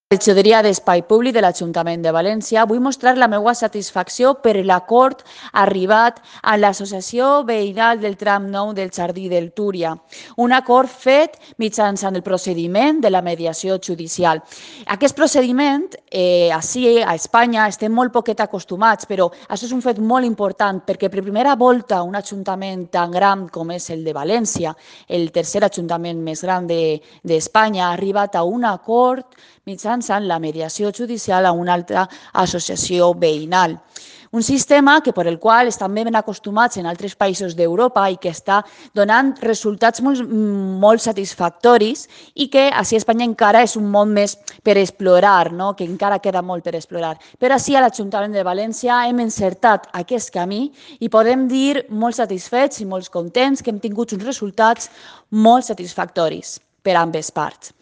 Regidoria d'Espai Públic de l'Ajuntament de València, vull mostrar la meva satisfacció per l'acord arribat a l'Associació Veïnal del Tram 9 del Jardí del Túria, un acord fet mitjançant el procediment de la mediació judicial. Aquest procediment, ací a Espanya, estem molt poquet acostumats, però això és un fet molt important perquè per primera volta un ajuntament tan gran com és el de València, el tercer ajuntament més gran d'Espanya, ha arribat a un acord mitjançant la mediació judicial a una altra associació veïnal. Un sistema per el qual estan ben acostumats en altres països d'Europa i que està donant resultats molt satisfactoris i que ací a Espanya encara és un món més per explorar, que encara queda molt per explorar. Però ací a l'Ajuntament de València hem encertat aquest camí i podem dir molt satisfets i molt contents que hem tingut uns resultats molt satisfactoris per a ambes parts.